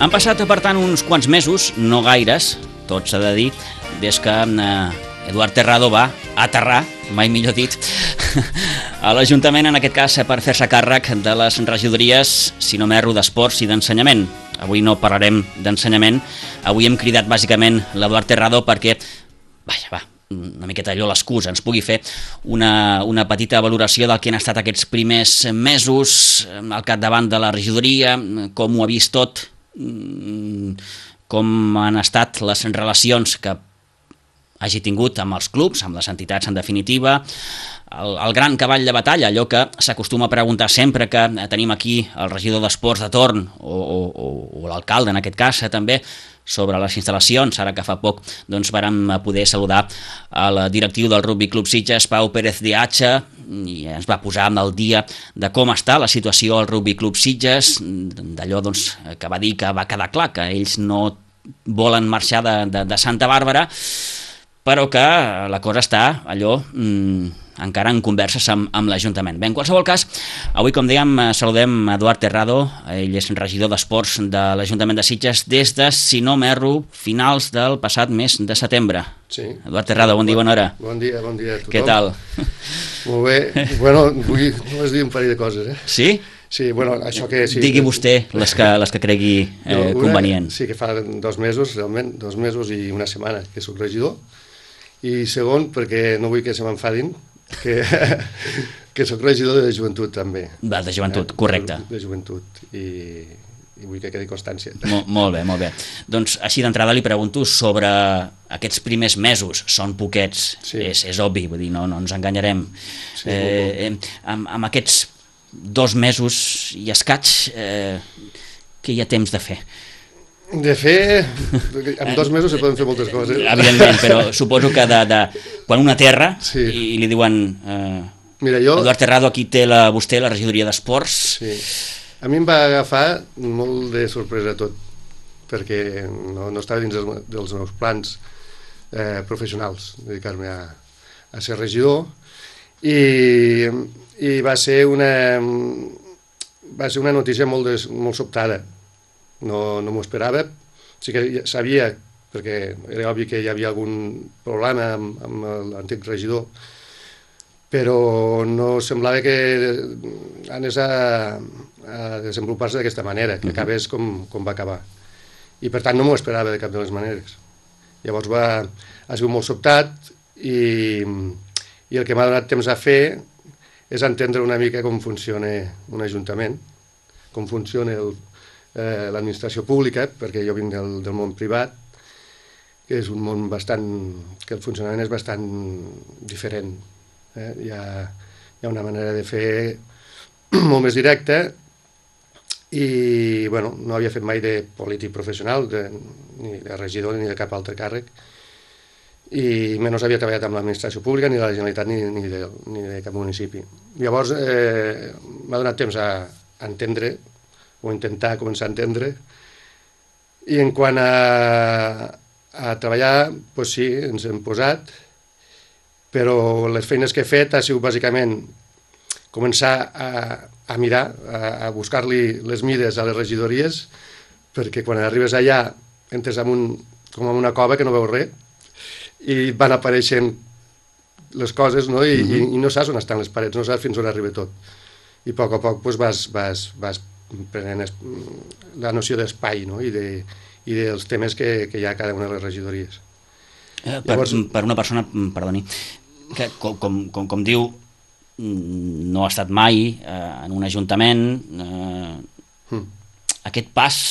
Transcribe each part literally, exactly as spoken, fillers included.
Han passat, per tant, uns quants mesos, no gaires, tot s'ha de dir, des que eh, Eduard Terrado va aterrar, mai millor dit, a l'Ajuntament, en aquest cas, per fer-se càrrec de les regidories, si no m'erro, d'Esports i d'Ensenyament. Avui no parlarem d'ensenyament, avui hem cridat bàsicament l'Eduard Terrado perquè, vaja, va, una miqueta allò l'excusa, ens pugui fer una, una petita valoració del que han estat aquests primers mesos al capdavant de la regidoria, com ho ha vist tot, com han estat les relacions que hagi tingut amb els clubs, amb les entitats en definitiva, el, el gran cavall de batalla, allò que s'acostuma a preguntar sempre que tenim aquí el regidor d'Esports de torn, o, o, o l'alcalde en aquest cas també, sobre les instal·lacions. Ara que fa poc doncs, vàrem poder saludar el directiu del Rugby Club Sitges, Pau Pérez de Hacha, i ens va posar al dia de com està la situació al Rugby Club Sitges, d'allò doncs, que va dir que va quedar clar que ells no volen marxar de, de, de Santa Bàrbara, però que la cosa està allò mmm, encara en converses amb, amb l'Ajuntament. Bé, en qualsevol cas, avui, com dèiem, saludem Eduard Terrado, ell és regidor d'Esports de l'Ajuntament de Sitges des de, si no m'erro, finals del passat mes de setembre. Sí. Eduard Terrado, bon dia, bona hora. Bon dia, bon dia a tothom. Què tal? Molt bé. Bueno, vull només dir un parell de coses, eh? Sí? Sí, bueno, això que... Sí, digui vostè les que, les que cregui eh, no, una, convenient. Sí, que fa dos mesos, realment, dos mesos i una setmana que soc regidor. I segon, perquè no vull que se m'enfadin, que, que soc regidor de joventut també. Va, de joventut, correcte. De, de joventut, i, i vull que quedi constància. Mol, molt bé, molt bé. Doncs així d'entrada li pregunto sobre aquests primers mesos, són poquets, sí. és, és obvi, vull dir, no, no ens enganyarem. Sí, eh, eh, amb, amb aquests dos mesos i escaig, eh, què hi ha temps de fer? De fer, en dos mesos se poden fer moltes coses. Evidentment, però suposo que de, de, quan una terra sí. i, i li diuen eh, Mira, jo... Eduard Terrado, aquí té la, vostè la regidoria d'Esports. Sí. A mi em va agafar molt de sorpresa tot, perquè no, no estava dins dels, dels meus plans eh, professionals, dedicar-me a, a ser regidor, i, i va ser una, va ser una notícia molt, des, molt sobtada. No, no m'ho esperava, sí que ja sabia, perquè era obvi que hi havia algun problema amb, amb l'antic regidor, però no semblava que anés a, a desenvolupar-se d'aquesta manera, que acabés com, com va acabar. I per tant no m'ho esperava de cap de les maneres. Llavors va, ha sigut molt sobtat, i, i el que m'ha donat temps a fer és entendre una mica com funciona un ajuntament, com funciona el Eh, l'administració pública, perquè jo vinc del, del món privat, que és un món bastant, que el funcionament és bastant diferent. Eh? Hi ha, hi ha una manera de fer molt més directa, i bueno, no havia fet mai de polític professional, de, ni de regidor ni de cap altre càrrec, i menys havia treballat amb l'administració pública, ni de la Generalitat, ni, ni, de, ni de cap municipi. Llavors eh, m'ha donat temps a, a entendre, o intentar començar a entendre, i en quant a, a treballar, doncs sí, ens hem posat, però les feines que he fet ha sigut bàsicament començar a, a mirar, a, a buscar-li les mides a les regidories, perquè quan arribes allà entres en un, com en una cova que no veus res, i van apareixent les coses, no? I, mm-hmm. i, i no saps on estan les parets, no saps fins on arriba tot. I a poc a poc doncs, vas, vas, vas prenent la noció d'espai, no? I, de, i dels temes que, que hi ha a cada una de les regidories. Eh, per, Llavors, per una persona, perdoni, que com, com, com, com diu, no ha estat mai eh, en un ajuntament, eh, hmm. aquest pas...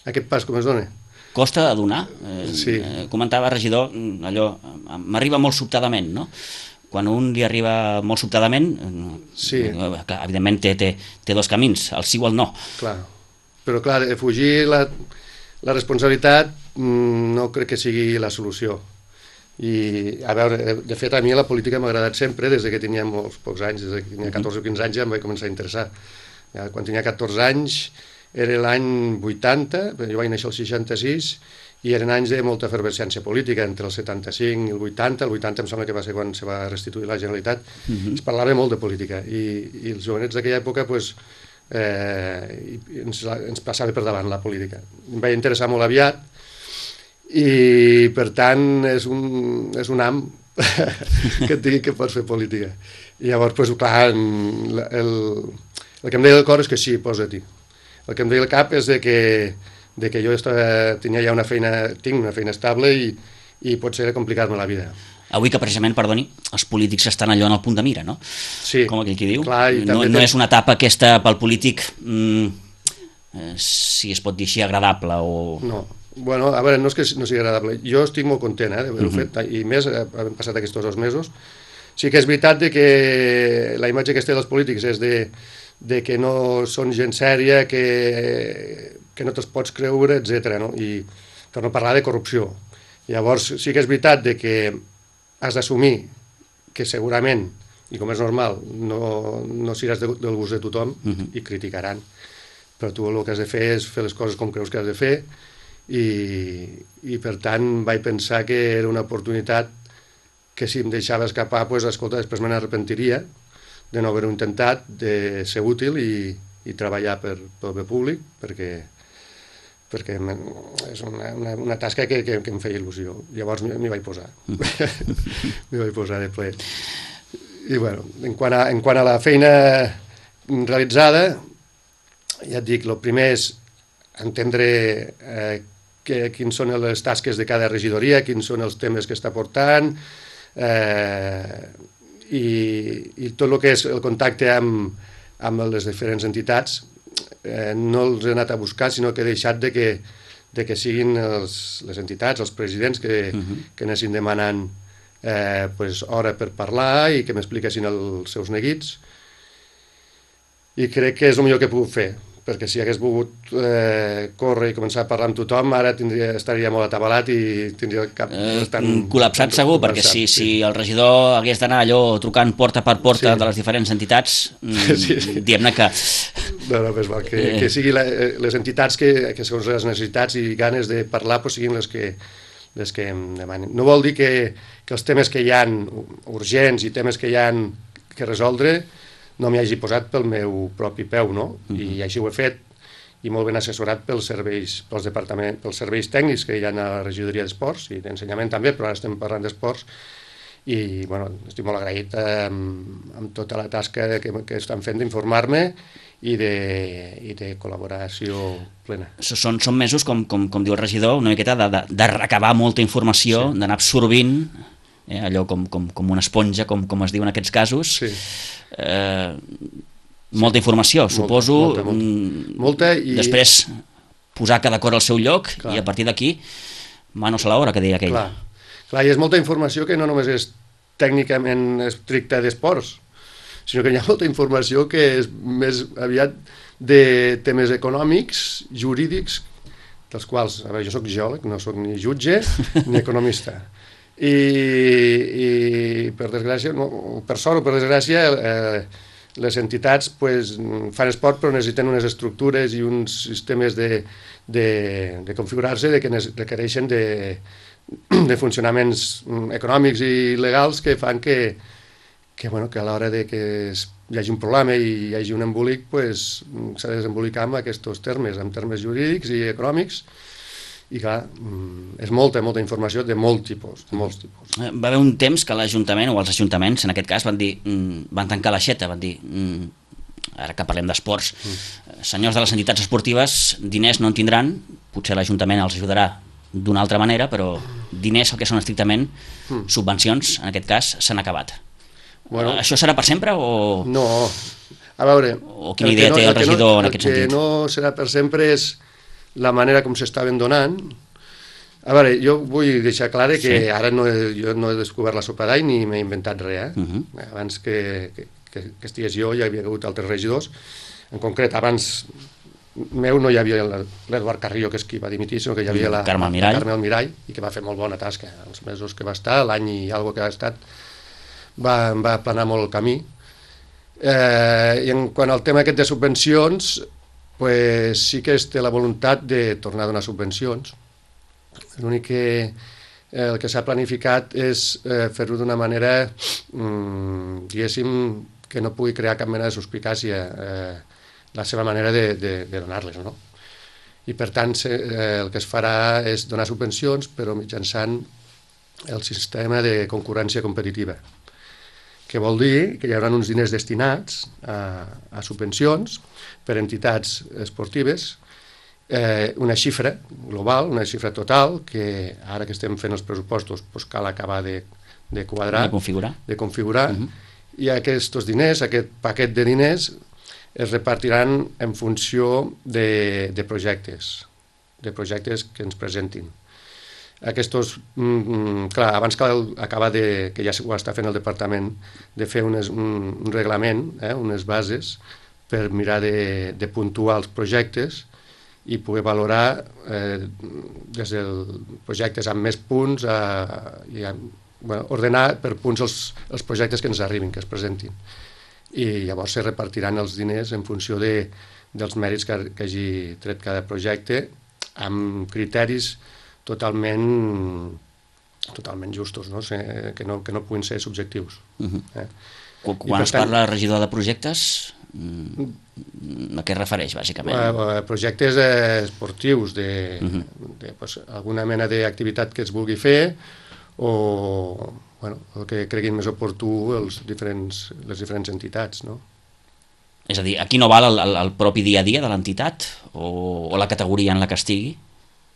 Aquest pas com es dona? Costa de donar. Eh, sí. eh, comentava regidor, allò, m'arriba molt sobtadament, no? Quan un li arriba molt sobtadament, sí. Clar, evidentment té, té, té dos camins, el sí o el no. Clar, però clar, fugir la, la responsabilitat no crec que sigui la solució. I, a veure, de fet, a mi la política m'ha agradat sempre, des que tenia molts pocs anys, des que tenia catorze o quinze anys ja em vaig començar a interessar. Ja, quan tenia catorze anys, era l'any vuitanta, jo vaig néixer el seixanta-sis, i eren anys de molta efervescència política, entre el setanta-cinc i el vuitanta, el vuitanta em sembla que va ser quan se va restituir la Generalitat, uh-huh. Es parlava molt de política, i, i els jovenets d'aquella època pues, eh, i ens, ens passava per davant la política. Em vaig interessar molt aviat i, per tant, és un, és un am que et digui que pots fer política. I llavors, pues, clar, el, el, el que em deia el cor és que sí, posa-t'hi. El que em deia el cap és de que, de que jo estava, tenia ja una feina, tinc una feina estable i, i potser era complicar-me la vida. Avui que precisament, perdoni, els polítics estan allò en el punt de mira, no? Sí. Com aquell qui diu. Clar, no, no és una etapa aquesta pel polític, mm, eh, si es pot dir així, agradable o... No, bueno, a veure, no és que no sigui agradable. Jo estic molt content eh, d'haver-ho uh-huh. fet, i més, havent passat aquests dos mesos. Sí que és veritat de que la imatge que es té dels polítics és de, de que no són gent sèria, que, que no te'ls pots creure, etcètera. No? I per no parlar de corrupció. Llavors, sí que és veritat de que has d'assumir que segurament, i com és normal, no, no seràs de, del gust de tothom uh-huh. i criticaran. Però tu el que has de fer és fer les coses com creus que has de fer i, i per tant vaig pensar que era una oportunitat que si em deixava escapar, pues, escolta, després me n'arrepentiria de no haver-ho intentat, de ser útil i, i treballar per, pel bé públic, perquè perquè és una, una, una tasca que, que, que em feia il·lusió. Llavors m'hi vaig posar. m'hi vaig posar de ple. I bueno, en quant a, en quant a la feina realitzada, ja et dic, el primer és entendre eh, que, quins són les tasques de cada regidoria, quins són els temes que està portant, eh, i, i tot el que és el contacte amb, amb les diferents entitats, Eh, no els he anat a buscar, sinó que he deixat de que, de que siguin els, les entitats, els presidents que, uh-huh. que anessin demanant eh, pues, hora per parlar i que m'expliquessin els seus neguits, i crec que és el millor que he pogut fer, perquè si hagués volgut eh, córrer i començar a parlar amb tothom, ara tindria, estaria molt atabalat i tindria el cap bastant... Eh, col·lapsat segur, perquè si, sí. si el regidor hagués d'anar allò trucant porta per porta sí. de les diferents entitats, sí, sí. diguem-ne que... No, no, pues val, que, eh. que siguin la, les entitats que, que segons les necessitats i ganes de parlar pues, siguin les que, les que em demanen. No vol dir que, que els temes que hi ha urgents i temes que hi ha que resoldre no m'hi hagi posat pel meu propi peu, no? Uh-huh. I així ho he fet, i molt ben assessorat pels serveis, pels departaments, pels serveis tècnics que hi ha a la regidoria d'esports i d'ensenyament també, però ara estem parlant d'esports, i bueno, estic molt agraït amb, amb tota la tasca que, que estan fent d'informar-me i de, i de col·laboració plena. Són, són mesos, com, com, com diu el regidor, una miqueta de, de, de recabar molta informació, sí. d'anar absorbint, eh, allò com, com, com una esponja, com, com es diu en aquests casos, sí. eh, molta informació, molta, suposo, molta, molta. molta i... després posar cada cor al seu lloc, clar. I a partir d'aquí, manos a l'obra, que deia aquell. Clar. Clar, i és molta informació que no només és tècnicament estricta d'esports, sinó que hi ha molta informació que és més aviat de temes econòmics, jurídics, dels quals, a veure, jo soc geòleg, no soc ni jutge ni economista. I, i per desgràcia, no, per sort o per desgràcia, eh, les entitats pues, fan esport però necessiten unes estructures i uns sistemes de, de, de configurar-se de que requereixen de, de funcionaments econòmics i legals que fan que que, bueno, que a l'hora de que hi hagi un problema i hi hagi un embolic, pues, s'ha de desembolicar amb aquests termes, amb termes jurídics i econòmics, i clar, és molta, molta informació de molt tipus, de molts tipus. Va haver un temps que l'Ajuntament, o els ajuntaments, en aquest cas, van dir, van tancar l'aixeta, van dir, ara que parlem d'esports, mm. senyors de les entitats esportives, diners no en tindran, potser l'Ajuntament els ajudarà d'una altra manera, però diners, el que són estrictament mm. subvencions, en aquest cas, s'han acabat. Bueno, això serà per sempre o...? No, a veure... O quina idea no, té el regidor no, en aquest sentit? El que no serà per sempre és la manera com s'estaven donant. A veure, jo vull deixar clar que sí. ara no he, jo no he descobert la sopa d'all ni m'he inventat res. Eh? Uh-huh. Abans que, que, que estigués jo hi havia hagut altres regidors. En concret, abans meu no hi havia l'Eduard Carrillo, que és qui va dimitir, sinó que hi havia la Carme Almirall. La Carme Almirall, i que va fer molt bona tasca. Els mesos que va estar, l'any i alguna que ha estat, va, va aplanar molt el camí. Eh, I en quant al tema aquest de subvencions, pues sí que es té la voluntat de tornar a donar subvencions. L'únic que el que s'ha planificat és eh, fer-ho d'una manera, mm, diguéssim, que no pugui crear cap mena de suspicàcia. Eh, la seva manera de, de, de donar-les, no? I per tant se, eh, el que es farà és donar subvencions, però mitjançant el sistema de concurrència competitiva, que vol dir que hi haurà uns diners destinats a, a subvencions per entitats esportives, eh, una xifra global, una xifra total, que ara que estem fent els pressupostos doncs cal acabar de, de quadrar, de configurar, de configurar uh -huh. i aquests diners, aquest paquet de diners, es repartiran en funció de, de projectes, de projectes que ens presentin. Aquests, mm, clar, abans cal acabar de, que ja ho està fent el departament, de fer unes, un, un reglament, eh, unes bases, per mirar de, de puntuar els projectes i poder valorar eh, des dels projectes amb més punts a, i a, bueno, ordenar per punts els, els projectes que ens arribin, que es presentin. I llavors se repartiran els diners en funció de, dels mèrits que, que hagi tret cada projecte, amb criteris totalment totalment justos, no? Que, no, que no puguin ser subjectius. Uh -huh. eh? Quan es parla regidor de projectes, a què es refereix, bàsicament? Eh, projectes eh, esportius, de, uh -huh. de pues, alguna mena d'activitat que es vulgui fer, o bueno, el que creguin més oportú els diferents, les diferents entitats, no? És a dir, aquí no val el, el, el propi dia a dia de l'entitat o, o la categoria en la que estigui?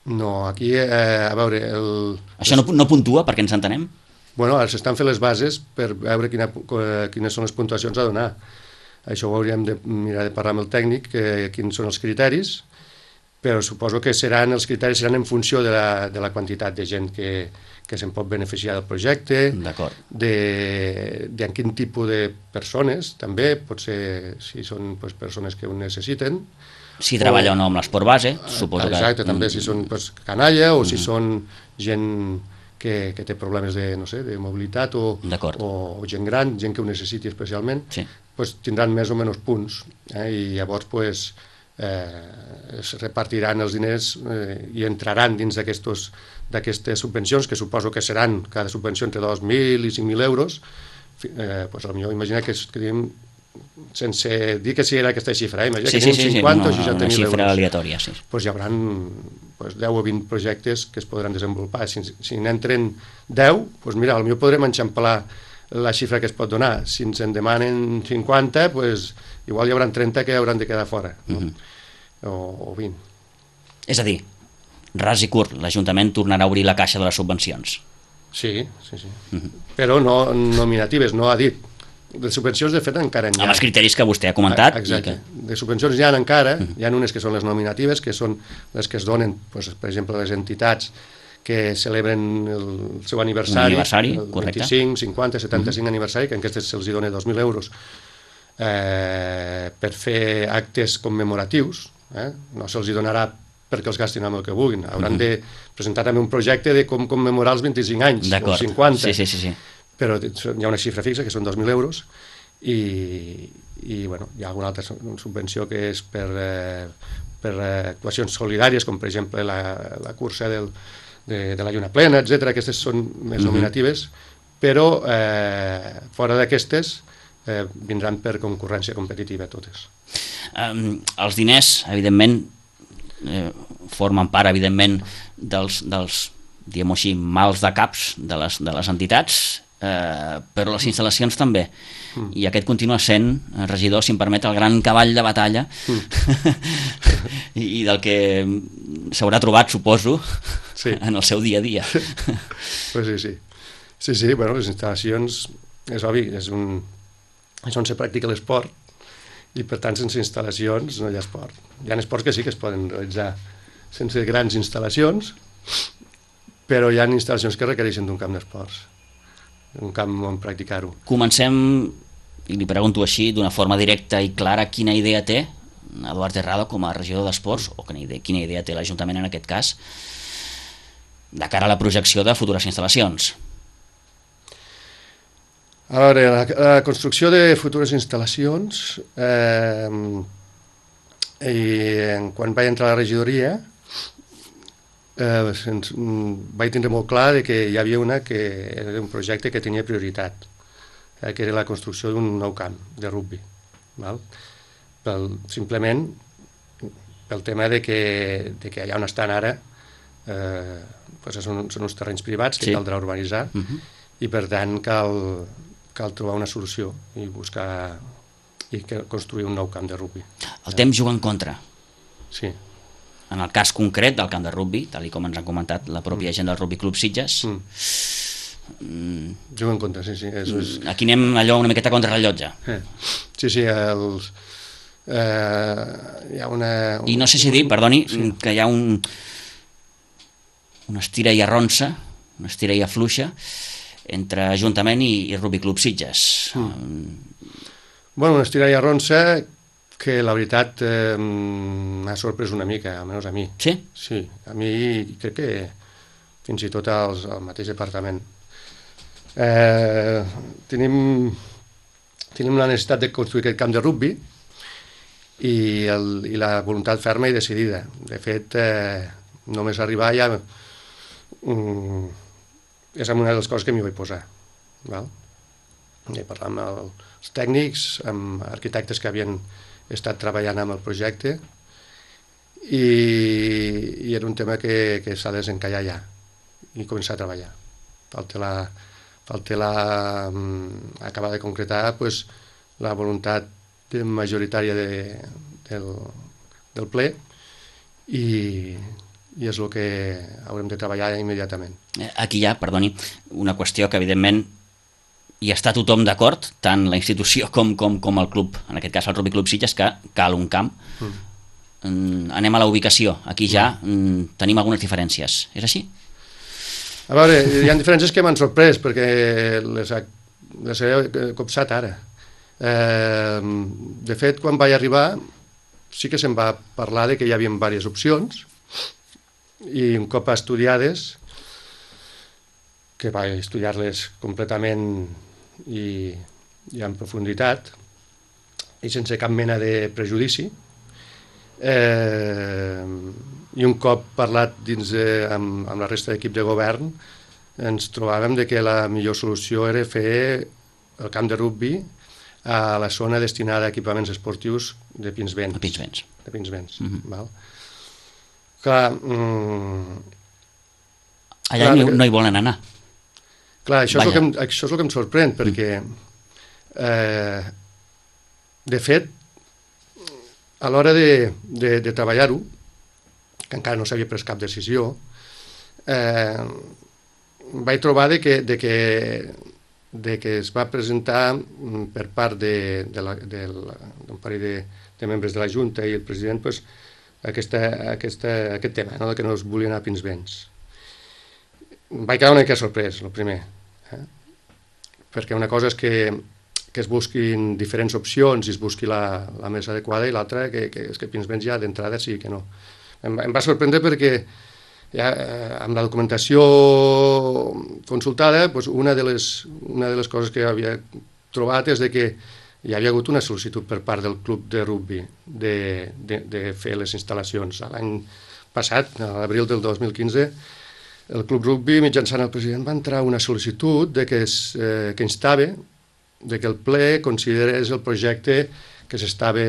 No, aquí, eh, a veure... El... Això no, no puntua, perquè ens entenem? Bueno, ara s'estan fent les bases per veure quina, quines són les puntuacions a donar. Això ho hauríem de mirar de parlar amb el tècnic, que, quins són els criteris, però suposo que seran els criteris seran en funció de la, de la quantitat de gent que, que se'n pot beneficiar del projecte, de, de en quin tipus de persones, també, pot ser si són pues, persones que ho necessiten. Si treballa o no amb l'esport base, suposo que... Exacte, també si són pues, canalla o si són gent que, que té problemes de, no sé, de mobilitat o, o, o gent gran, gent que ho necessiti especialment, sí. pues, tindran més o menys punts, eh? I llavors pues, eh, es repartiran els diners eh, i entraran dins d'aquestes subvencions, que suposo que seran cada subvenció entre dos mil i cinc mil euros, eh, pues, potser imagina que, que diguem, sense dir que sí era aquesta xifra, eh? Imagina sí, que tenim sí, sí, cinquanta no, o seixanta mil euros. Una xifra aleatòria, sí. Pues hi haurà pues, deu o vint projectes que es podran desenvolupar. Si, si n'entren deu, pues mira, potser podrem enxamplar la xifra que es pot donar. Si ens en demanen cinquanta, pues, igual hi haurà trenta que hauran de quedar fora, no? Uh -huh. o, o vint. És a dir, ras i curt, l'Ajuntament tornarà a obrir la caixa de les subvencions. Sí, sí, sí. Uh -huh. Però no nominatives, no ha dit. De subvencions, de fet, encara n'hi ha. Amb els criteris que vostè ha comentat. Exacte. I que... De subvencions n'hi ha encara, uh -huh. hi ha unes que són les nominatives, que són les que es donen, pues, per exemple, les entitats que celebren el seu aniversari, aniversari el vint-i-cinc, cinquanta, setanta-cinc uh -huh. aniversari, que en aquestes se'ls dona dos mil euros eh, per fer actes commemoratius, eh? No se'ls donarà perquè els gastin amb el que vulguin, hauran uh -huh. de presentar també un projecte de com commemorar els vint-i-cinc anys, o cinquanta. Sí, sí, sí, sí. Però hi ha una xifra fixa, que són dos mil euros, i, i bueno, hi ha alguna altra subvenció que és per, eh, per eh, actuacions solidàries, com per exemple la, la cursa del, de, de la lluna plena, etcètera. Aquestes són més uh-huh. nominatives, però eh, fora d'aquestes eh, vindran per concurrència competitiva totes. Um, els diners, evidentment, eh, formen part, evidentment, dels, dels diguem-ho així, mals de caps de les, de les entitats, eh, però les instal·lacions també. Mm. I aquest continua sent, regidor, si em permet, el gran cavall de batalla mm. i, i del que s'haurà trobat, suposo, sí. en el seu dia a dia. Pues sí, sí. Sí, sí, bueno, les instal·lacions, és obvi, és, un, és on se practica l'esport, i per tant sense instal·lacions no hi ha esport. Hi ha esports que sí que es poden realitzar sense grans instal·lacions, però hi ha instal·lacions que requereixen d'un camp d'esports, un camp on practicar-ho. Comencem, i li pregunto així, d'una forma directa i clara, quina idea té Eduard Terrado com a regidor d'Esports, o quina idea, quina idea té l'Ajuntament en aquest cas, de cara a la projecció de futures instal·lacions? A veure, la, la construcció de futures instal·lacions, eh, i quan vaig entrar a la regidoria, eh, sens, vaig tindre molt clar que hi havia una que era un projecte que tenia prioritat, eh, que era la construcció d'un nou camp de rugby. Val? pel, simplement pel tema de que, de que allà on estan ara eh, pues són, són uns terrenys privats que sí. Caldrà urbanitzar uh -huh. i per tant cal, cal trobar una solució i buscar i construir un nou camp de rugbi. El temps juga en contra. Sí. En el cas concret del camp de rugbi, tal com ens han comentat la pròpia gent del Rugby Club Sitges, mm. Mm. juga en contra, sí, sí. És, és... Aquí anem allò una miqueta contra rellotge. Eh. Sí, sí, els... Eh, hi ha una... I no sé si dir, perdoni, sí. que hi ha un... una estira i arronsa, una estira i afluixa entre Ajuntament i, i Rugby Club Sitges. Mm. Bueno, una estira i arronsa que la veritat eh, m'ha sorprès una mica, almenys a mi. Sí? Sí, a mi crec que fins i tot als, al mateix departament. Eh, tenim, tenim la necessitat de construir aquest camp de rugbi i, el, i la voluntat ferma i decidida. De fet, eh, només arribar ja mm, és una de les coses que m'hi vaig posar. Val? I parlar amb el, els tècnics, amb arquitectes que havien estat treballant amb el projecte i, i era un tema que, que s'ha de desencallar ja i començar a treballar. Falta la, falta la um, acabar de concretar pues, la voluntat majoritària de, del, del ple i, i és el que haurem de treballar immediatament. Aquí hi ha, perdoni, una qüestió que evidentment hi està tothom d'acord, tant la institució com, com, com el club, en aquest cas el Rugby Club Sitges, que cal un camp. Mm. Anem a la ubicació. Aquí ja mm, tenim algunes diferències. És així? A veure, hi ha diferències que m'han sorprès, perquè les, les he copsat ara. Eh, de fet, quan vaig arribar, sí que se'm va parlar de que hi havia diverses opcions, i un cop estudiades, que vaig estudiar-les completament i, i en profunditat i sense cap mena de prejudici, eh, i un cop parlat dins de, amb, amb la resta d'equip de govern ens trobàvem de que la millor solució era fer el camp de rugbi a la zona destinada a equipaments esportius de Pinsbens. De Pinsbens. De Pinsbens, mm -hmm. val? Clar, mm, allà clar, no, no hi volen anar. Clar, això és, el que em, això és el que em sorprèn, perquè, eh, de fet, a l'hora de, de, de treballar-ho, que encara no s'havia pres cap decisió, eh, vaig trobar de que, de que, de que es va presentar per part d'un parell de, de membres de la Junta i el president pues, aquesta, aquesta, aquest tema, no? De que no es volien anar a Pinsbens. Vaig quedar una mica sorprès, el primer, eh? Perquè una cosa és que, que es busquin diferents opcions i es busqui la, la més adequada, i l'altra que, que és que Pinsbens ja d'entrada sí que no. Em, em va sorprendre perquè ja, eh, amb la documentació consultada, doncs una, de les, una de les coses que havia trobat és de que hi havia hagut una sol·licitud per part del club de rugbi de, de, de fer les instal·lacions. L'any passat, a l'abril del dos mil quinze, el club rugbi, mitjançant el president, va entrar una sol·licitud de que, es, eh, que instava de que el ple considerés el projecte que s'estava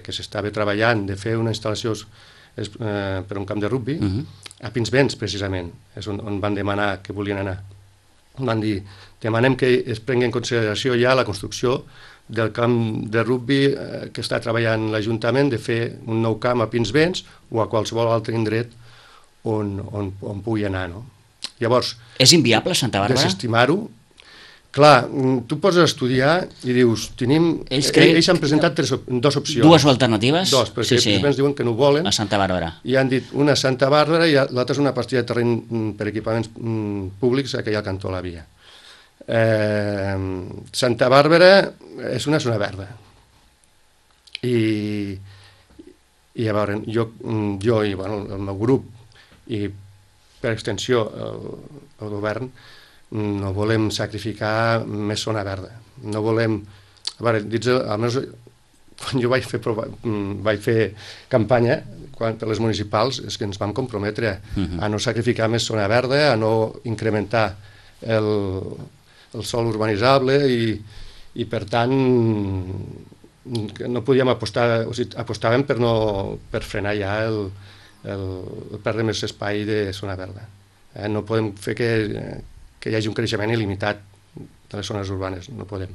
que s'estava treballant de fer una instal·lació eh, per un camp de rugbi uh -huh. a Pinsbens, precisament, és on, on van demanar que volien anar. Van dir, demanem que es prengui en consideració ja la construcció del camp de rugbi eh, que està treballant l'Ajuntament, de fer un nou camp a Pinsbens o a qualsevol altre indret on, on, on pugui anar, no? Llavors... És inviable, Santa Bàrbara? Desestimar-ho. Clar, tu poses a estudiar i dius, tenim... Ells, cre... ells han presentat tres, dues opcions. Dues alternatives? Dos, perquè sí, sí. Ens diuen que no ho volen. A Santa Bàrbara. I han dit una a Santa Bàrbara i l'altra és una partida de terreny per equipaments públics a aquella cantó la via. Eh, Santa Bàrbara és una zona verda. I, i a veure, jo, jo i bueno, el meu grup i per extensió el, el govern no volem sacrificar més zona verda. No volem... A veure, dins, almenys quan jo vaig fer, vaig fer campanya quan, per les municipals, és que ens vam comprometre uh-huh. a no sacrificar més zona verda, a no incrementar el, el sòl urbanitzable i, i per tant no podíem apostar, o sigui, apostàvem per, no, per frenar ja el, el, el perdre més espai de zona verda. Eh? No podem fer que, que hi hagi un creixement il·limitat de les zones urbanes, no podem.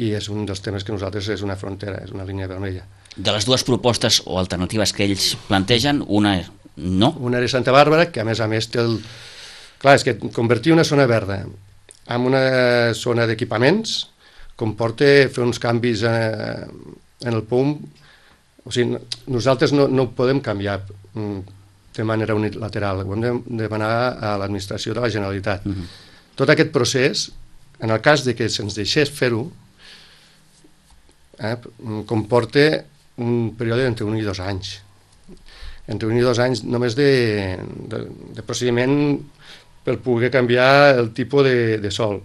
I és un dels temes que nosaltres és una frontera, és una línia vermella. De les dues propostes o alternatives que ells plantegen, una és no? Una és Santa Bàrbara, que a més a més té el... Clar, és que convertir una zona verda en una zona d'equipaments comporta fer uns canvis eh, en el P U M. O sigui, nosaltres no, no ho podem canviar de manera unilateral, ho hem de demanar a l'administració de la Generalitat. Uh-huh. Tot aquest procés, en el cas de que se'ns deixés fer-ho, eh, comporta un període d'entre un i dos anys. Entre un i dos anys només de, de, de procediment per poder canviar el tipus de, de sol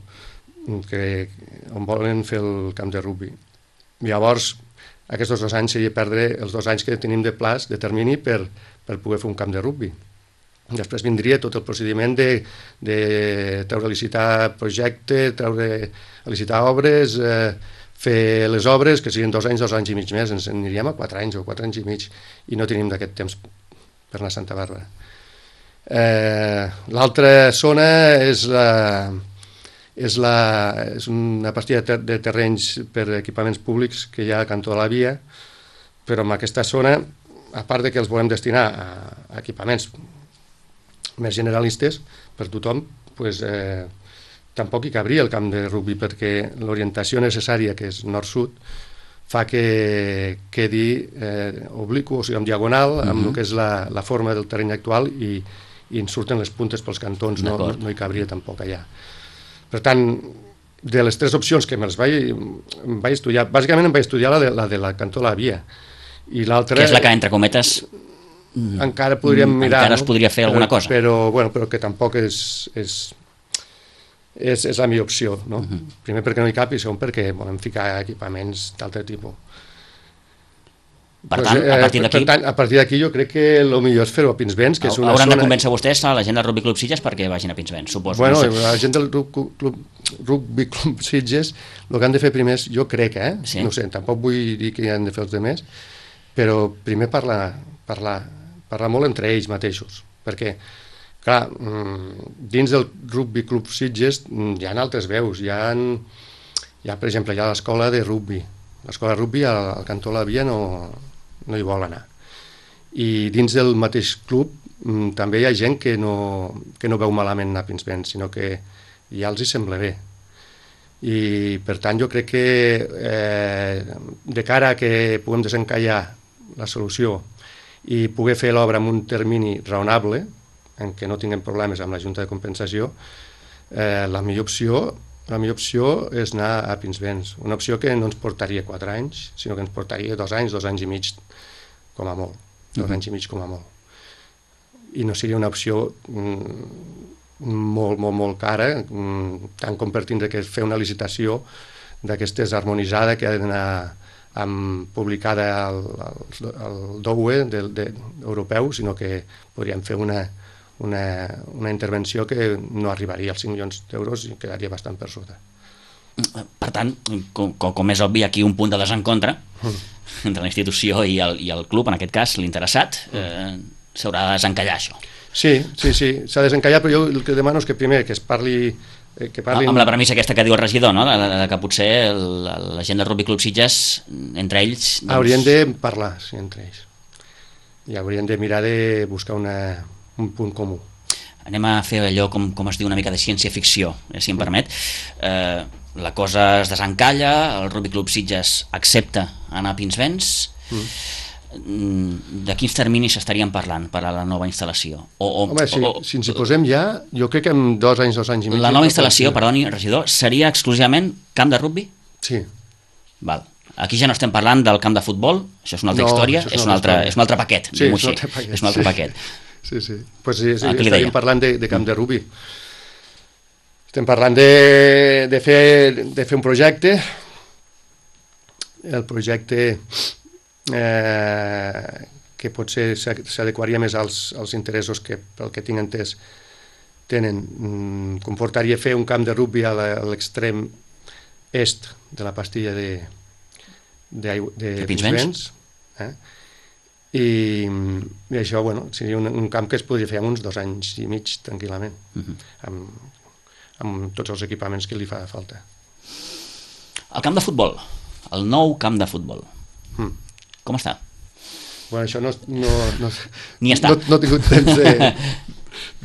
que, on volen fer el camp de rugbi. Llavors, aquests dos anys seria perdre els dos anys que tenim de plaç, de termini, per, per poder fer un camp de rugbi. Després vindria tot el procediment de, de treure a licitar projecte, treure a licitar obres, eh, fer les obres, que siguin dos anys, dos anys i mig més, ens aniríem a quatre anys o quatre anys i mig, i no tenim d'aquest temps per anar a Santa Bàrbara. Eh, L'altra zona és la... És, la, és una partida de, ter de terrenys per equipaments públics que hi ha a Cantó de la Via, però en aquesta zona, a part de que els volem destinar a, a equipaments més generalistes per tothom, pues, eh, tampoc hi cabria el camp de rugbi, perquè l'orientació necessària, que és nord-sud, fa que quedi eh, obliqu, o sigui, en diagonal, amb uh-huh. el que és la, la forma del terreny actual, i, i en surten les puntes pels cantons, no, no hi cabria tampoc allà. Per tant, de les tres opcions que me'ls vaig, vaig estudiar, bàsicament em vaig estudiar la de la, de la Cantó de la Via, i l'altra... Que és la que, entre cometes, encara podríem mirar, encara es podria fer no? alguna però, cosa. Però, bueno, però que tampoc és, és, és, és la millor opció, no? Uh-huh. Primer perquè no hi cap i segon perquè volem ficar equipaments d'altre tipus. Per tant, a partir d'aquí... Per tant, a partir d'aquí jo crec que el millor és fer-ho a Pinsbens, que és una hauran zona... de convèncer vostès a la gent del Rugby Club Sitges perquè vagin a Pinsbens, suposo. Bueno, no sé. la gent del Rugby Club Sitges, el que han de fer primer és, jo crec, eh? Sí. No sé, tampoc vull dir que han de fer els altres, però primer parlar, parlar, parlar molt entre ells mateixos, perquè, clar, dins del Rugby Club Sitges hi ha altres veus, hi ha, hi ha per exemple, hi ha l'escola de rugby, l'escola de rugby al, al Cantó de la Via no... no hi vol anar. I dins del mateix club mm, també hi ha gent que no, que no veu malament anar a Pinsbens, sinó que ja els hi sembla bé. I per tant jo crec que eh, de cara a que puguem desencallar la solució i poder fer l'obra en un termini raonable, en què no tinguem problemes amb la Junta de Compensació, eh, la millor opció la millor opció és anar a Pinsbens, una opció que no ens portaria quatre anys, sinó que ens portaria dos anys, dos anys i mig com a molt, dos uh-huh. anys i mig com a molt. I no seria una opció mm, molt, molt, molt cara, mm, tant com per tindre que fer una licitació d'aquestes harmonitzada que ha d'anar amb, publicada al, al, al D O U E de, de, europeu, sinó que podríem fer una Una, una intervenció que no arribaria als cinc milions d'euros i quedaria bastant per sota. Per tant, com, com és obvi, aquí un punt de desencontre mm. entre la institució i el, i el club, en aquest cas l'interessat, eh, s'haurà de desencallar això. Sí, sí, sí, s'ha de desencallar, però jo el que demano és que primer que es parli... Eh, que parlin... Amb la premissa aquesta que diu el regidor, no? de, de, de que potser el, la gent del Rugby Club Sitges, entre ells... Doncs... Haurien de parlar, sí, entre ells. I haurien de mirar de buscar una... un punt comú. Anem a fer allò, com, com es diu, una mica de ciència-ficció, eh, si em permet. Eh, la cosa es desencalla, el Rugby Club Sitges accepta anar a Pinsbens. Mm. De quins terminis estaríem parlant per a la nova instal·lació? O, o, Home, si, o, si ens hi posem ja, jo crec que en dos anys, dos anys i mig... La nova instal·lació, perdoni, regidor, seria exclusivament camp de rugby? Sí. Val. Aquí ja no estem parlant del camp de futbol, això és una altra no, història, és, és, un altre, és un altre paquet. Sí, és un altre paquet. És un altre sí. paquet. Sí, sí. Pues sí, sí estaríem parlant de, de camp de rugby. Estem parlant de, de, fer, de fer un projecte. El projecte eh, que potser s'adequaria més als, als interessos que, pel que tinc entès, tenen. Mm, comportaria fer un camp de rugby a l'extrem est de la pastilla de, de, de, de Pinsbens. Eh? I, I això, bueno, seria un, un camp que es podria fer en uns dos anys i mig, tranquil·lament, uh-huh. amb, amb tots els equipaments que li fa falta. El camp de futbol, el nou camp de futbol, mm. com està? Bueno, això no... no, no Ni està. No, no he tingut temps de,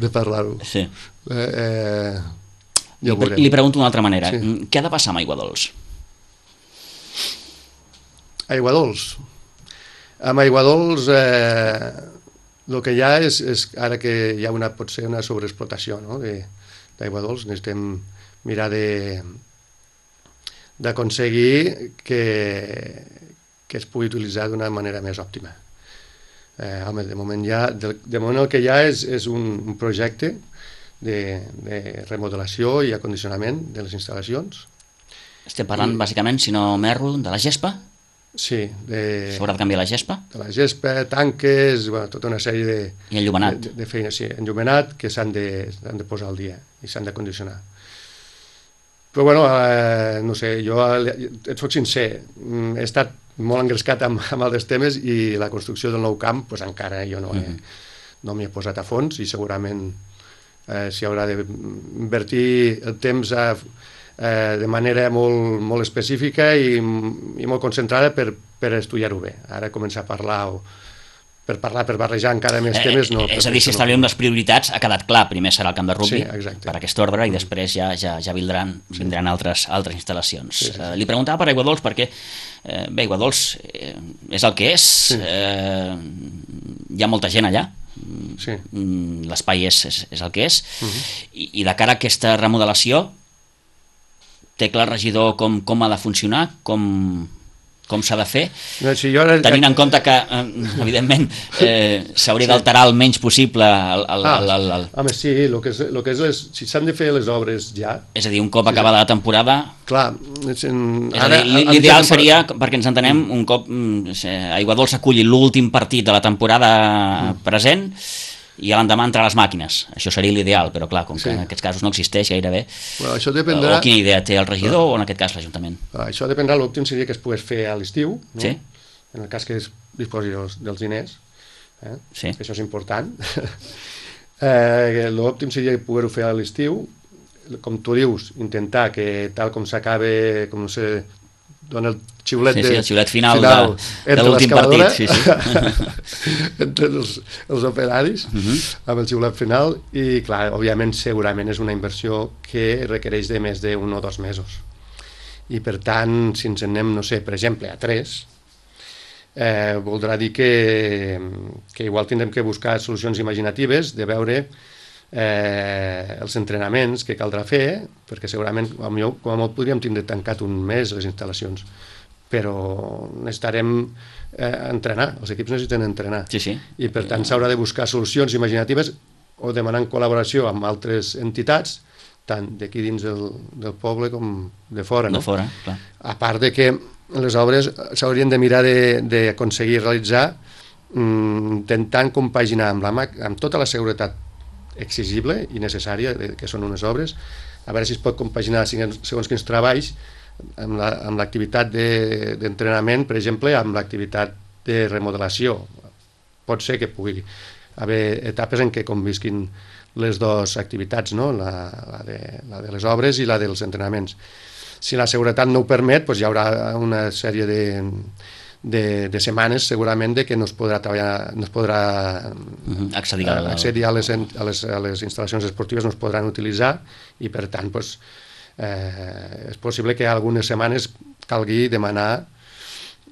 de parlar-ho. Sí. Eh, eh, ja li, li pregunto d'una altra manera. Sí. Què ha de passar amb Aiguadols? Aiguadols? Amb Aiguadols eh, el que hi ha és, és ara que hi ha una, pot ser una sobreexplotació, no? d'Aiguadols, necessitem mirar de d'aconseguir que, que es pugui utilitzar d'una manera més òptima. Eh, home, de moment, ja, de, de moment el que hi ha és, és un, un projecte de, de remodelació i acondicionament de les instal·lacions. Estem parlant, I, bàsicament, si no m'erro, de la gespa? Sí. De, S'haurà de canviar la gespa? De la gespa, tanques, bueno, tota una sèrie de, I enllumenat. de, de feines, sí, enllumenat, que s'han de, s'han de posar al dia i s'han de condicionar. Però, bueno, eh, no sé, jo et soc sincer, he estat molt engrescat amb, amb altres temes i la construcció del nou camp, pues, encara jo no, he, mm-hmm. no m'hi he posat a fons i segurament eh, s'hi haurà d'invertir el temps a, eh, de manera molt, molt específica i, i molt concentrada per, per estudiar-ho bé. Ara començar a parlar o per parlar, per barrejar encara més temes... No, eh, és a dir, si establirem les prioritats, ha quedat clar, primer serà el camp de rugby, sí, per aquest ordre, i després ja, ja, ja vindran, vindran altres, altres instal·lacions. Sí, sí. Uh, li preguntava per Aiguadols perquè, eh, bé, Aiguadols eh, és el que és, sí. eh, hi ha molta gent allà, sí. l'espai és, és, és el que és, uh-huh. I, i de cara a aquesta remodelació, té clar el regidor com, com ha de funcionar, com... com s'ha de fer, no, si jo ara... tenint en compte que, eh, evidentment, eh, s'hauria sí. d'alterar el menys possible el, el, ah, el, el, el... home, sí, el que és, el que és les, si s'han de fer les obres ja... És a dir, un cop sí, acabada la temporada... Clar, és, en, és ara, a dir, l'ideal seria, perquè ens entenem, un cop eh, Aiguadols aculli l'últim partit de la temporada mm. present, i a l'endemà entrar a les màquines. Això seria l'ideal, però clar, com que sí. en aquests casos no existeix gairebé, bueno, això dependrà... o quina idea té el regidor ah. o en aquest cas l'Ajuntament? Ah, això dependrà, l'òptim seria que es pogués fer a l'estiu, no? Sí. En el cas que es disposi dels, dels diners, eh? Sí. Això és important. eh, l'òptim seria poder-ho fer a l'estiu, com tu dius, intentar que tal com s'acabe, com no sé, dona el xiulet, sí, de, sí, el xiulet final, final de, de l'últim partit, sí, sí. entre els, els operaris, uh-huh. amb el xiulet final, i clar, òbviament, segurament és una inversió que requereix de més d'un o dos mesos. I per tant, si ens en anem, no sé, per exemple, a tres, eh, voldrà dir que, que igual tindrem que buscar solucions imaginatives, de veure eh, els entrenaments que caldrà fer, perquè segurament com a molt podríem tindre tancat un mes les instal·lacions, però necessitarem eh, entrenar, els equips necessiten entrenar, sí, sí. I per tant s'haurà de buscar solucions imaginatives o demanar col·laboració amb altres entitats, tant d'aquí dins del, del poble com de fora, no? De fora, clar. A part de que les obres s'haurien de mirar d'aconseguir realitzar mm, intentant compaginar amb, la, amb tota la seguretat exigible i necessària que són unes obres, a veure si es pot compaginar segons quins treballs amb l'activitat la, d'entrenament, per exemple, amb l'activitat de remodelació. Pot ser que pugui haver etapes en què convisquin les dues activitats, no? la, la, de, la de les obres i la dels entrenaments. Si la seguretat no ho permet, doncs hi haurà una sèrie de, de, de setmanes segurament de que no es podrà treballar, no es podrà uh-huh. accedir, a, accedir a, les, a, les, a les instal·lacions esportives, no es podran utilitzar i per tant doncs, eh, és possible que algunes setmanes calgui demanar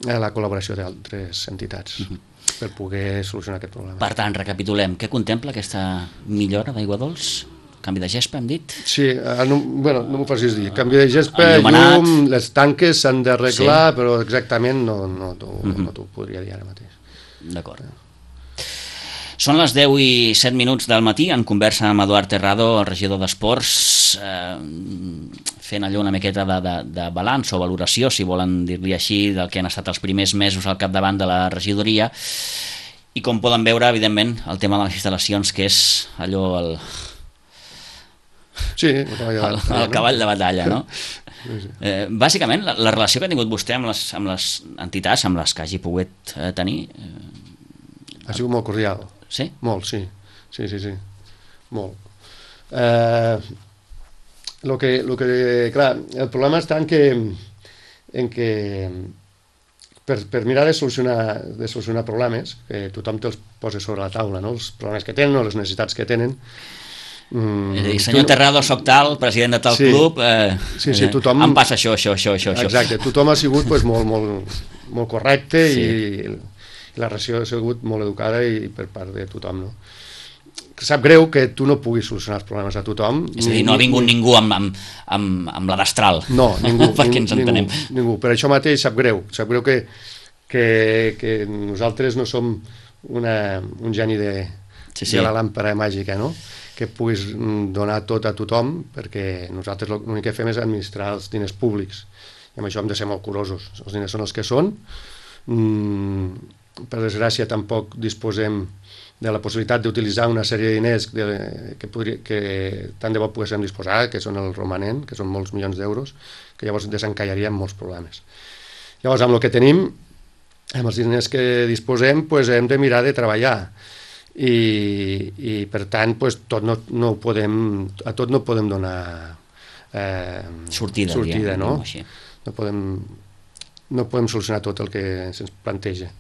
la col·laboració d'altres entitats. Uh-huh. per poder solucionar aquest problema. Per tant, recapitulem, què contempla aquesta millora d'Aiguadols? Canvi de gespa, hem dit? Sí, eh, no, bueno, no m'ho facis dir. Canvi de gespa, llum, les tanques s'han d'arreglar, sí. Però exactament no, no t'ho uh-huh. no t'ho podria dir ara mateix. D'acord. Són les deu i set minuts del matí, en conversa amb Eduard Terrado, el regidor d'Esports, eh, fent allò una miqueta de, de, de balanç o valoració, si volen dir-li així, del que han estat els primers mesos al capdavant de la regidoria, i com poden veure, evidentment, el tema de les instal·lacions, que és allò el... Sí, el cavall de batalla, el, el cavall de batalla, no? Sí, sí. Eh, bàsicament, la, la relació que ha tingut vostè amb les, amb les entitats, amb les que hagi pogut eh, tenir... Eh, ha sigut molt cordial. Sí? Molt, sí. Sí, sí, sí. Molt. Eh, lo que, lo que, clar, el problema està en que, en que per, per mirar de solucionar, de solucionar problemes, que tothom te'ls posa sobre la taula, no? Els problemes que tenen o les necessitats que tenen. Mm, és a dir, senyor no... Terrado, soc tal, president de tal sí, club, eh, sí, sí, tothom... em passa això, això, això, això. Exacte, tothom ha sigut pues, molt, molt, molt correcte sí. i, i la relació ha sigut molt educada i per part de tothom, no? Sap greu que tu no puguis solucionar els problemes a tothom. És a dir, no ha vingut ni... ningú amb, amb, amb, amb la destral. No, ningú. Perquè ens entenem. Ningú, ningú. Per això mateix sap greu. Sap greu que, que, que nosaltres no som una, un geni de, sí, sí. de la làmpara màgica, no? Que puguis donar tot a tothom, perquè nosaltres l'únic que fem és administrar els diners públics. I amb això hem de ser molt curosos. Els diners són els que són. Mm, per desgràcia tampoc disposem de la possibilitat d'utilitzar una sèrie de diners de, que, podria, que tant de bo poguéssim disposar, que són el romanent, que són molts milions d'euros, que llavors desencallaríem molts problemes. Llavors, amb el que tenim, amb els diners que disposem, pues, hem de mirar de treballar. I, i per tant, pues, tot no, no ho podem, a tot no podem donar eh, sortida, sortida diguem, no? Així. No podem, no podem solucionar tot el que se'ns planteja.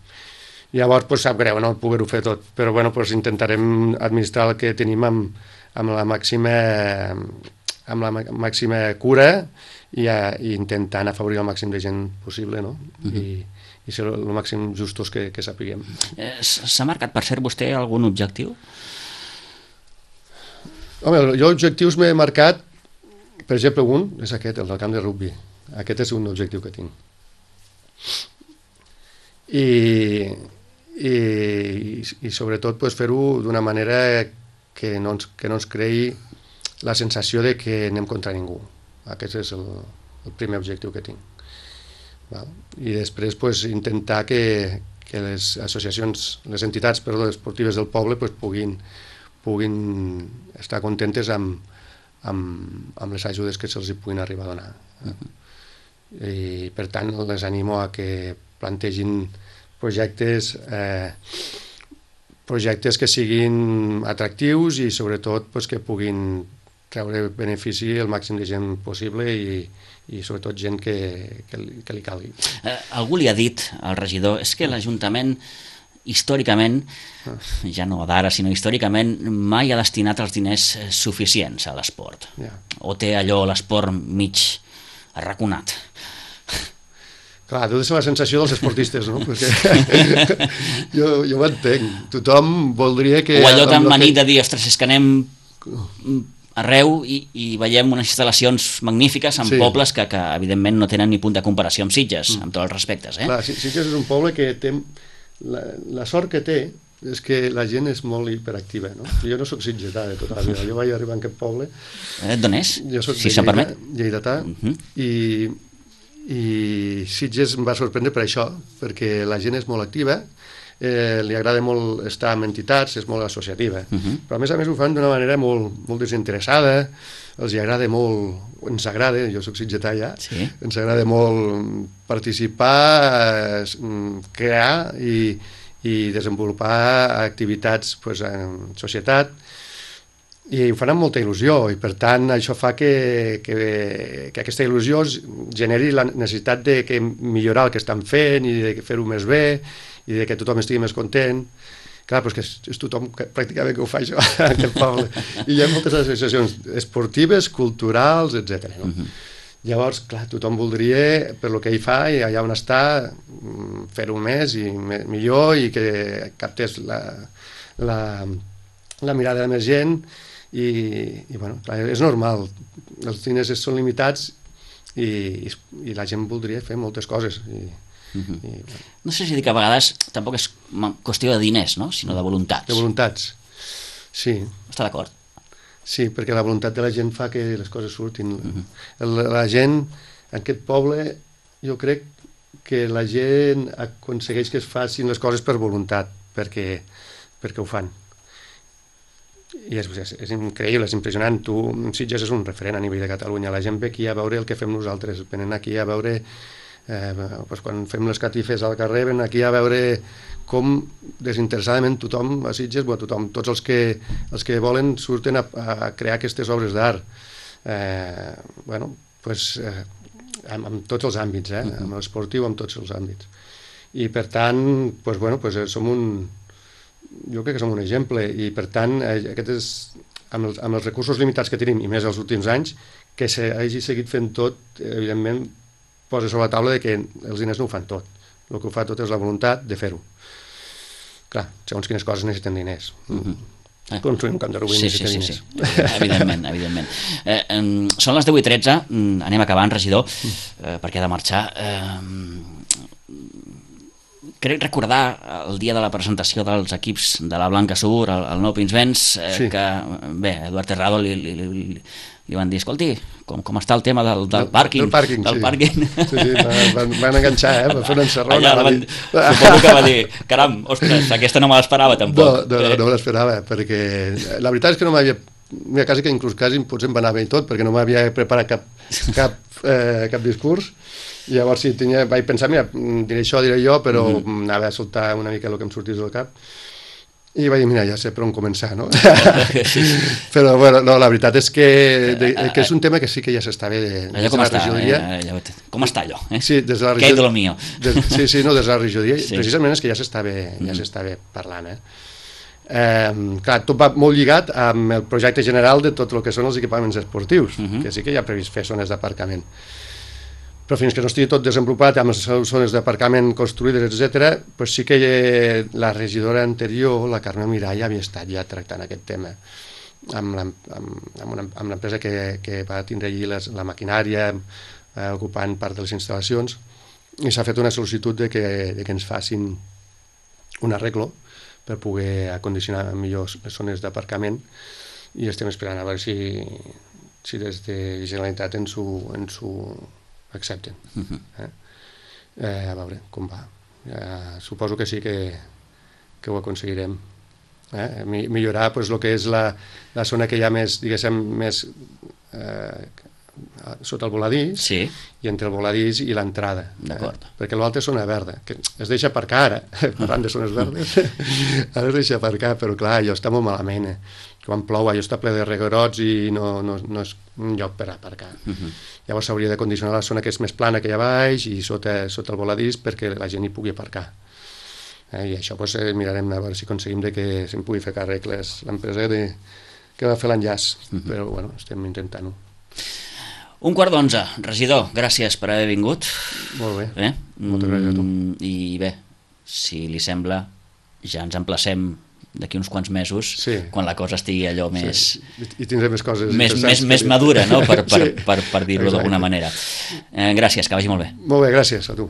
Llavors, pues, sap greu no poder-ho fer tot, però bueno, pues, intentarem administrar el que tenim amb, amb la màxima amb la màxima cura i, a, i intentant afavorir el màxim de gent possible, no? Uh-huh. I, i ser el màxim justos que, que sapiguem. Eh, S'ha marcat, per cert, vostè algun objectiu? Home, jo objectius m'he marcat, per exemple, un és aquest, el del camp de rugbi. Aquest és un objectiu que tinc. I, i, i sobretot pues, fer-ho d'una manera que no, ens, que no ens creï la sensació de que anem contra ningú. Aquest és el, el primer objectiu que tinc. Val? I després pues, intentar que, que les associacions, les entitats perdó, esportives del poble pues, puguin, puguin estar contentes amb, amb, amb les ajudes que se'ls puguin arribar a donar. Uh-huh. I per tant les animo a que plantegin projectes eh, projectes que siguin atractius i sobretot pues, que puguin treure benefici al màxim de gent possible i, i sobretot gent que, que, li, que li calgui. Eh, algú li ha dit al regidor, és que l'Ajuntament històricament, ja no d'ara sinó històricament, mai ha destinat els diners suficients a l'esport. Yeah. O té allò l'esport mig arraconat. Clar, deu ser la sensació dels esportistes, no? Perquè jo, jo ho entenc. Tothom voldria que... O allò tan manit que... de dir, ostres, és que anem arreu i, i veiem unes instal·lacions magnífiques en sí. pobles que, que, evidentment, no tenen ni punt de comparació amb Sitges, mm. amb tots els respectes. Eh? Clar, Sitges és un poble que té... La, la sort que té és que la gent és molt hiperactiva, no? Jo no soc sitgetà de tota la vida. Jo vaig arribar en aquest poble... Eh, D'on és? Jo soc si se'm permet. Lleidatà. Uh -huh. I... i Sitges em va sorprendre per això, perquè la gent és molt activa, eh, li agrada molt estar amb entitats, és molt associativa, uh -huh. però a més a més ho fan d'una manera molt, molt desinteressada, els agrada molt, ens agrada, jo soc sitgetà ja, sí. ens agrada molt participar, crear i, i desenvolupar activitats pues, en societat, i ho fan amb molta il·lusió i per tant això fa que, que, que aquesta il·lusió generi la necessitat de que millorar el que estan fent i de fer-ho més bé i de que tothom estigui més content. Clar, però és que és, és tothom que, pràcticament que ho fa això en aquest poble. I hi ha moltes associacions esportives, culturals, etcètera. No? Uh-huh. Llavors, clar, tothom voldria, per lo que ell fa i allà on està, fer-ho més i me, millor i que captés la, la, la mirada de més gent. I, i bueno, clar, és normal, els diners són limitats i, i, i la gent voldria fer moltes coses i, uh-huh. i, bueno. No sé si dir que a vegades tampoc és qüestió de diners, no? Sinó de voluntats. De voluntats, sí. Està d'acord? Sí, perquè la voluntat de la gent fa que les coses surtin. Uh-huh. la, la gent, en aquest poble, jo crec que la gent aconsegueix que es facin les coses per voluntat, perquè, perquè ho fan. i és, és, és increïble, és impressionant. Tu, Sitges és un referent a nivell de Catalunya, la gent ve aquí a veure el que fem nosaltres, venen aquí a veure eh, doncs quan fem les catifes al carrer, venen aquí a veure com desinteressadament tothom a Sitges, bueno, tothom, tots els que, els que volen surten a, a crear aquestes obres d'art. Eh, bueno, pues, eh, amb, amb tots els àmbits, eh? Amb l'esportiu, amb tots els àmbits. I per tant, pues, bueno, pues, som un... jo crec que som un exemple, i per tant, eh, aquest és, amb, els, amb els recursos limitats que tenim, i més els últims anys, que s'hagi seguit fent tot, evidentment, posa sobre la taula de que els diners no ho fan tot. El que ho fa tot és la voluntat de fer-ho. Clar, segons quines coses necessiten diners. Mm-hmm. Eh. Construir un camp de rugby sí, necessita sí, sí, diners. Sí. Evidentment, evidentment. Eh, eh, són les deu i tretze, anem acabant, regidor, eh, perquè ha de marxar. Eh, Crec recordar el dia de la presentació dels equips de la Blanca Sur, el, el nou Pinsbens, eh, sí. que, bé, Eduard Terrado li, li, li, li van dir, escolti, com, com està el tema del, del pàrquing? Del pàrquing, del sí. Pàrquing. Sí, sí, van, van enganxar, eh? Van fer una encerrona. Allà, van, suposo que va dir, caram, ostres, aquesta no me l'esperava tampoc. No, no, no, no me l'esperava, perquè la veritat és que no m'havia... Mira, quasi que inclús quasi potser em va anar bé i tot, perquè no m'havia preparat cap, cap, eh, cap discurs. I llavors sí, tenia, vaig pensar, mira, diré això, diré jo, però mm. anava a soltar una mica el que em sortís del cap. I vaig dir, mira, ja sé per on començar, no? Però, bueno, no, la veritat és que, de, que és un tema que sí que ja s'està bé. Allò com està, eh, allò, com està allò? Eh? Sí, des de la regió... Què és de lo mío? Des, sí, sí, no, des de la regidoria, sí. Precisament és que ja s'està bé, ja mm. s'està bé parlant, eh? Eh, clar, tot va molt lligat amb el projecte general de tot el que són els equipaments esportius, mm-hmm. que sí que hi ha previst fer zones d'aparcament. Però fins que no estigui tot desenvolupat amb les zones d'aparcament construïdes, etcètera, doncs sí que la regidora anterior, la Carme Mirall, havia estat ja tractant aquest tema amb l'empresa que, que va tindre allí les, la maquinària, eh, ocupant part de les instal·lacions, i s'ha fet una sol·licitud de que, de que ens facin un arreglo per poder acondicionar millor les zones d'aparcament, i estem esperant a veure si, si des de Generalitat ens ho, ens ho accepten. Uh-huh. eh? Eh, a veure com va. Eh, suposo que sí que, que ho aconseguirem. Eh? Millorar pues, el que és la, la zona que hi ha més, diguéssim, més eh, sota el voladís, sí. i entre el voladís i l'entrada. D'acord. Eh? Perquè l'altra és zona verda, que es deixa aparcar ara, parlant de zones verdes, ara es deixa aparcar, però clar, allò està molt malament. Eh? Quan plou allò està ple de reguerots i no, no, no és un lloc per aparcar. Uh-huh. Llavors s'hauria de condicionar la zona que és més plana que hi ha baix i sota, sota el voladís perquè la gent hi pugui aparcar. Eh, I això pues, eh, mirarem a veure si aconseguim de que se'n pugui fer càrrec l'empresa de, que va fer l'enllaç, uh-huh. però bueno, estem intentant-ho. Un quart d'onze, regidor, gràcies per haver vingut. Molt bé, eh? moltes gràcies a tu. I bé, si li sembla, ja ens emplacem d'aquí uns quants mesos, sí. quan la cosa estigui allò més... Sí. I tindré més coses més, més, més madura, no? per, per, sí. per, per dir-ho d'alguna manera. Eh, gràcies, que vagi molt bé. Molt bé, gràcies a tu.